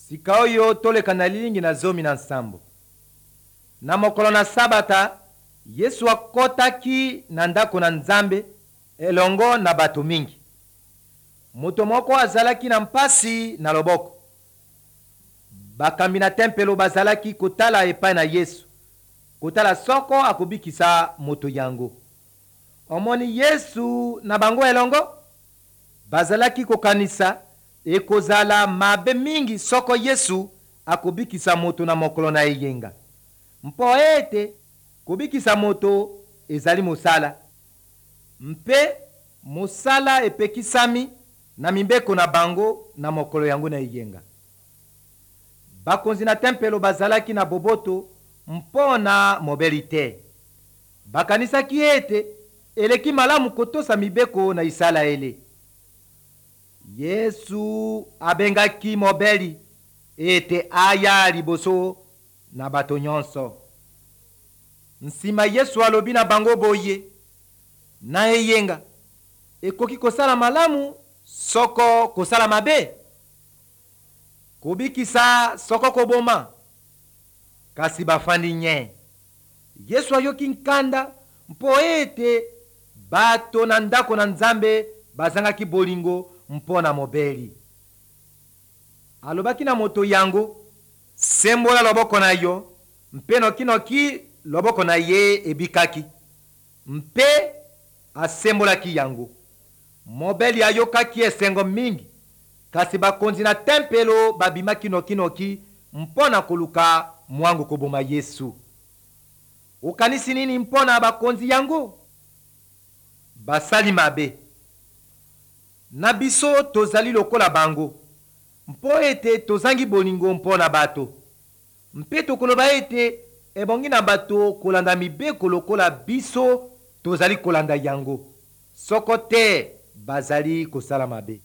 Sika oyo toleka na lilingi na 17. Na mokolo na Sabata, Yesu akɔtaki na ndako na Nzambe elongo na bato mingi. Moto moko azalaki na mpasi na loboko. Bakambi na tempelo bazalaki kotala epai na Yesu, kotala soko akobikisa moto yango. Omoni Yesu na bango elongo? Bazalaki kokanisa ekozala mabe mingi soko Yesu akobikisa moto na mokolo na eyenga, mpo ete kobikisa moto ezali mosala, mpe mosala epekisami na mibeko na bango na mokolo yango na eyenga. Bakonzi na tempelo bazalaki na boboto mpo na mobeli te. Bakanisaki ete eleki malamu kotosa mibeko na Isalaele. Yesu abengaki mobeli ete aya liboso na bato nyonso. Nsima Yesu alobi na bango boye: na eyenga ekoki kosala malamu soko kosala mabe, kobikisa soko koboma. Kasi bafandi nye. Yesu ayoki nkanda mpo ete bato na ndako na Nzambe bazangaki bolingo mpo na mobeli. Alobaki na moto yango: sembola loboko na yo. Mpe nokinoki loboko na ye ebikaki, mpe asembolaki yango. Mobeli ayokaki esengo mingi, kasi bakonzi na tempelo babimaki nokinoki mpo na koluka mwango koboma Yesu. Okanisi nini mpo na bakonzi yango? Basali mabe. Na biso tozali lokola bango, mpo ete tozangi bolingo mpo na bato, mpe tokoloba ete ebongi na bato kolanda mibeko lokola biso tozali kolanda yango. Soko te, bazali kosala mabe.